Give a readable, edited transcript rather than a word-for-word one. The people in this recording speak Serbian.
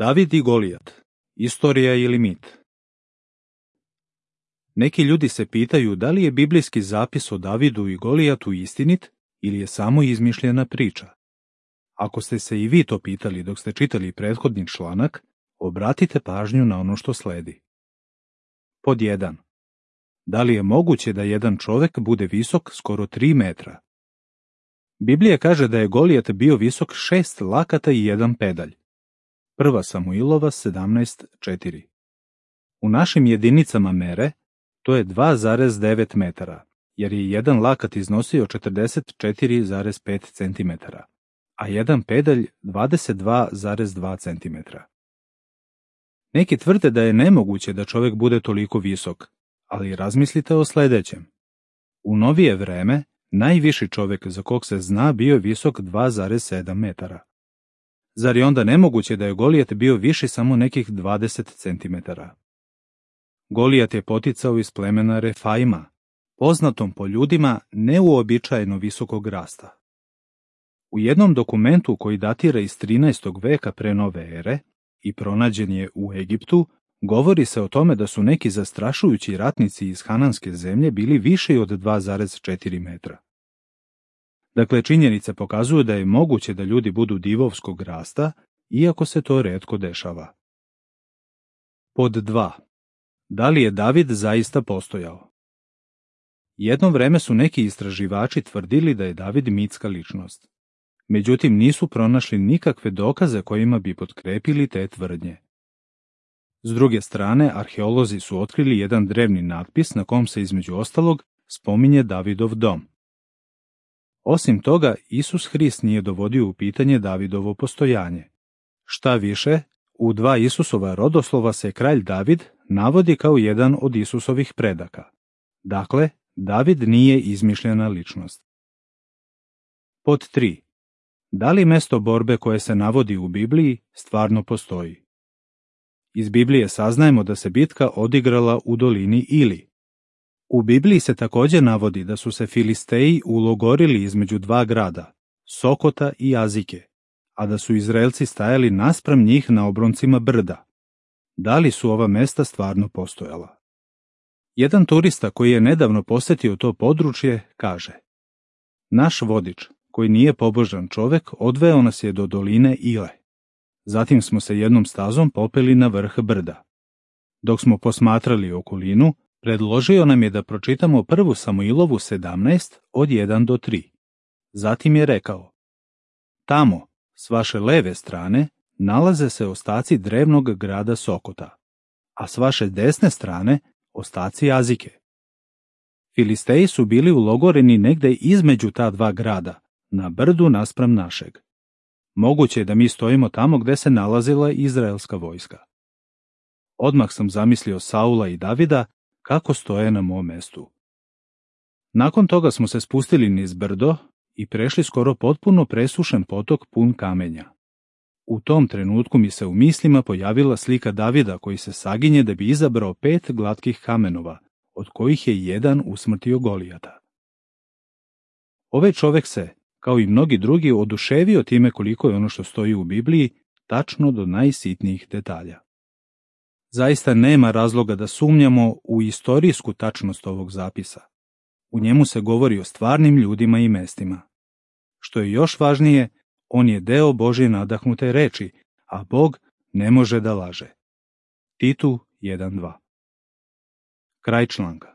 David i Golijat. Istorija ili mit? Neki ljudi se pitaju da li je biblijski zapis o Davidu i Golijatu istinit ili je samo izmišljena priča. Ako ste se i vi to pitali dok ste čitali prethodni članak, obratite pažnju na ono što sledi. Pod 1. Da li je moguće da jedan čovek bude visok skoro 3 metra? Biblija kaže da je Golijat bio visok 6 lakata i 1 pedalj. 1. Samuilova 17:4. U našim jedinicama mere to je 2,9 metara, jer je jedan lakat iznosio 44,5 cm, a jedan pedalj 22,2 cm. Neki tvrde da je nemoguće da čovjek bude toliko visok, ali razmislite o sledećem. U novije vreme, najviši čovjek za kog se zna bio je visok 2,7 metara. Zar je onda nemoguće da je Golijat bio viši samo nekih 20 cm? Golijat je poticao iz plemena Refaima, poznatom po ljudima neuobičajeno visokog rasta. U jednom dokumentu koji datira iz 13. veka pre nove ere i pronađen je u Egiptu, govori se o tome da su neki zastrašujući ratnici iz Hananske zemlje bili viši od 2,4 metra. Dakle, činjenice pokazuju da je moguće da ljudi budu divovskog rasta, iako se to retko dešava. Pod 2. Da li je David zaista postojao? Jedno vreme su neki istraživači tvrdili da je David mitska ličnost. Međutim, nisu pronašli nikakve dokaze kojima bi potkrepili te tvrdnje. S druge strane, arheolozi su otkrili jedan drevni natpis na kom se između ostalog spominje Davidov dom. Osim toga, Isus Hrist nije dovodio u pitanje Davidovo postojanje. Šta više, u 2 Isusova rodoslova se kralj David navodi kao jedan od Isusovih predaka. Dakle, David nije izmišljena ličnost. Pod 3. Da li mesto borbe koje se navodi u Bibliji stvarno postoji? Iz Biblije saznajemo da se bitka odigrala u dolini Ili. U Bibliji se također navodi da su se Filisteji ulogorili između 2 grada, Sokota i Azike, a da su Izraelci stajali naspram njih na obroncima brda. Da li su ova mesta stvarno postojala? Jedan turista koji je nedavno posetio to područje kaže: Naš vodič, koji nije pobožan čovek, odveo nas je do doline Ile. Zatim smo se jednom stazom popeli na vrh brda. Dok smo posmatrali okolinu, predložio nam je da pročitamo 1. Samuilovu 17 od 1 do 3. Zatim je rekao: Tamo, s vaše leve strane, nalaze se ostaci drevnog grada Sokota, a s vaše desne strane ostaci Azike. Filisteji su bili ulogoreni negde između ta 2 grada, na brdu naspram našeg. Moguće je da mi stojimo tamo gde se nalazila izraelska vojska. Odmah sam zamislio Saula i Davida kako stoje na mom mestu. Nakon toga smo se spustili niz brdo i prešli skoro potpuno presušen potok pun kamenja. U tom trenutku mi se u mislima pojavila slika Davida koji se saginje da bi izabrao 5 glatkih kamenova, od kojih je jedan usmrtio Golijata. Ovaj čovek se, kao i mnogi drugi, oduševio time koliko je ono što stoji u Bibliji tačno do najsitnijih detalja. Zaista nema razloga da sumnjamo u istorijsku tačnost ovog zapisa. U njemu se govori o stvarnim ljudima i mestima. Što je još važnije, on je deo Božje nadahnute reči, a Bog ne može da laže. Titu 1:2. Kraj članka.